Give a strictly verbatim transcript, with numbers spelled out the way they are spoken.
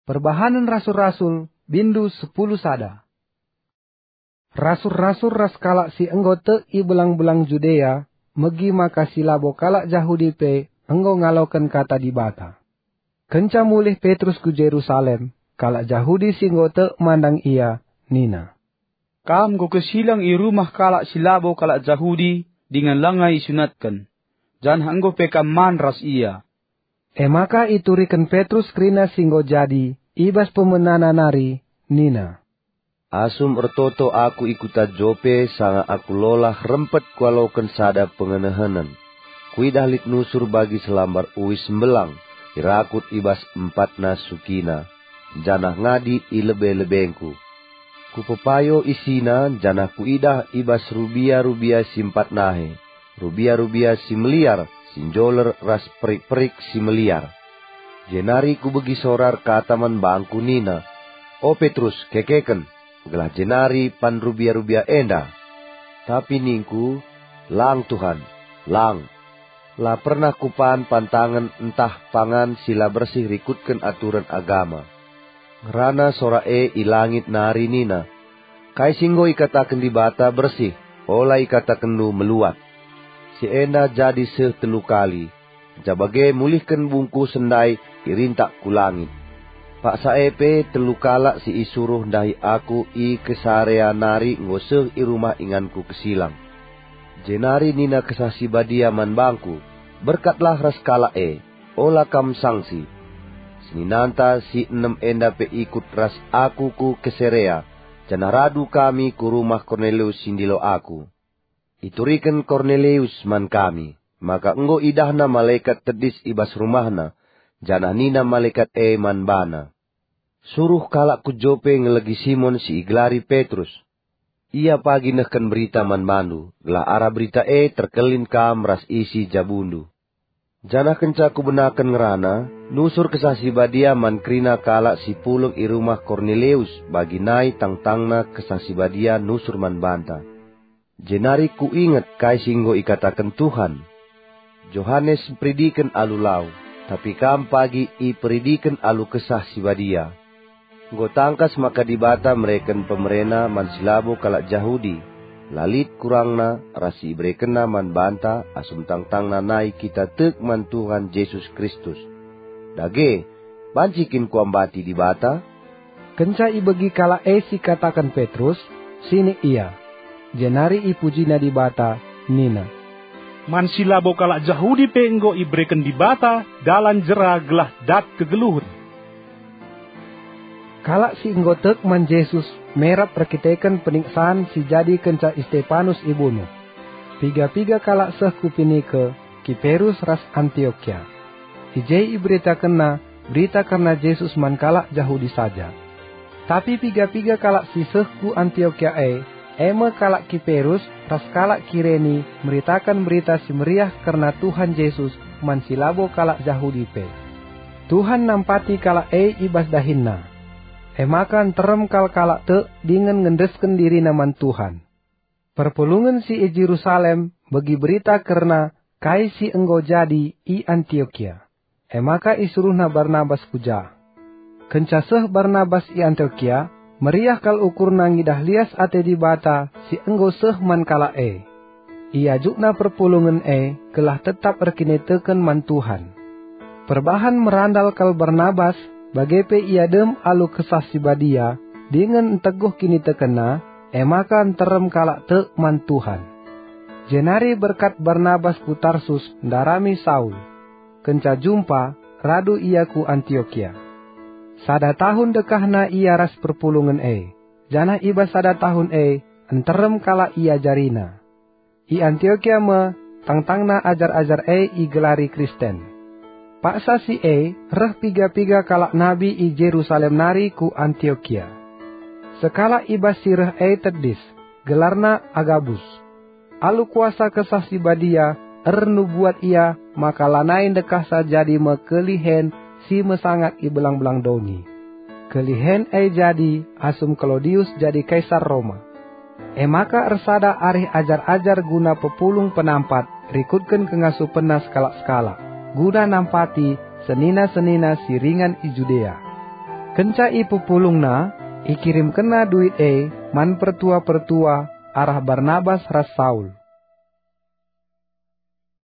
Perbahanen Rasul-rasul, bindu sepuluh sada. Rasul-rasul ras kalak si enggo tek i belang-belang Judea megi maka si labo kalak Jahudi pe enggo ngaloken Kata Dibata. Kenca mulih Petrus ku Jerusalem, kalak Jahudi si enggo tek mandang ia nina, "Kam enggo kesilang i rumah kalak si labo kalak Jahudi dingen langa isunatken, janah enggo pe kam man ras ia." E maka ituriken Petrus kerina si enggo jadi i bas pemenana nari nina, "Asum ertoto aku i kuta Jope sanga aku lolah rempet kualoken sada pengenehenen. Kuidah lit nusur bagi selambar uis mbelang, irakut i bas empatna sukina, janah ngadi i lebe-lebengku. Kupepayo isina janah kuidah i bas rubia-rubia si empat nahe, rubia-rubia si meliar, si njoler ras perik-perik si meliar. Jenari kubegi sora erkata man bangku nina, 'O Petrus, kekeken, gelah jenari pan rubia-rubia enda.' Tapi ningku, 'Lang, Tuhan, lang! La pernah kupan pantangen ntah pangan si la bersih rikutken aturen agama.' Ngerana sora e i langit nari nina, 'Kai si enggo ikataken Dibata bersih, ola ikatakenndu meluat.' Si enda jadi seh telu kali, jabage mulihken bungkusen ndai irintak ku langit. Paksa e pe telu kalak si isuruh ndahi aku i Kesarea nari enggo seh i rumah inganku kesilang." Jenari nina Kesah Si Badia man bangku, 'Berkatlah ras kalak e, ola kam sangsi.' Seninanta si enem enda pe ikut ras aku ku Kesarea, janah radu kami ku rumah Kornelius si ndilo aku. Ituriken Kornelius man kami maka enggo idahna malekat tedis i bas rumahna, janah nina malekat e man bana, 'Suruh kalak ku Jope ngelegi Simon si igelari Petrus. Ia pagi nehken berita man bandu, gelah arah berita e terkelin kam ras isi jabundu.' Janah kenca kubenaken ngerana, nusur Kesah Si Badia man kerina kalak si pulung i rumah Kornelius, bagi nai tangtangna Kesah Si Badia nusur man banta. Jenari kuinget kai si enggo ikataken Tuhan, 'Johanes mperidiken alu lau, tapi kam pagi iperidiken alu Kesah Si Badia.' Enggo tangkas maka Dibata mereken pemereNa man si labo kalak Jahudi, la lit kurangna ras si iberekenNa man banta asum tangtangna nai kita tek man Tuhan Jesus Kristus. Dage, banci kin kuambati Dibata?" Kenca ibegi kalak e si ikataken Petrus, sinik ia, jenari ipujina Dibata nina, "Man si labo kalak Jahudi pe enggo ibereken Dibata dalan jera gelah dat kegeluhen." Kalak si enggo tek man Jesus merap erkiteken peniksan si jadi kenca Istepanus ibunuh. Piga-piga kalak seh ku Pinike, Kiperus ras Antiokia. I je iberitakenna berita kerna Jesus man kalak Jahudi saja. Tapi piga-piga kalak si seh ku Antiokia e, e me kalak Kiperus ras kalak Kireni, meritaken Berita Si Meriah kerna Tuhan Jesus man si labo kalak Jahudi pe. Tuhan nampati kalak e i bas dahinna. E maka nterem kal kalak tek dingen ngendesken dirina man Tuhan. Perpulungen si i Jerusalem begi berita kerna kai si enggo jadi i Antiokia. E maka isuruhna Barnabas ku ja. Kenca seh Barnabas i Antiokia, meriah kal ukurna ngidah lias ate Dibata si enggo seh man kalak e. Iajukna perpulungen e gelah tetap erkiniteken man Tuhan. Perbahan merandal kal Barnabas, bage pe ia dem alu Kesah Si Badia, dingen nteguh kinitekenna, e maka nterem kalak tek man Tuhan. Jenari berkat Barnabas ku Tarsus ndarami Saul. Kenca jumpa, radu ia ku Antiokia. Sada tahun dekahna ia ras perpulungen e, janah i bas sada tahun e nterem kalak iajarina. I Antiokia me tangtangna ajar-ajar e igelari Kristen. Paksa si e reh piga-piga kalak nabi i Jerusalem nari ku Antiokia. Sekalak i bas si reh e tedis, gelarna Agabus. Alu kuasa Kesah Si Badia ernubuat ia maka lanai ndekahsa jadi me kelihen si mesangat i belang-belang doni. Kelihen e jadi asum Klaudius jadi kaisar Roma. E maka ersada arih ajar-ajar guna pepulung penampat rikutken kengasupenna sekalak-sekalak, guna nampati senina-senina si ringan i Judea. Kenca ipepulungna, ikirimkenna duit e man pertua-pertua arah Barnabas ras Saul.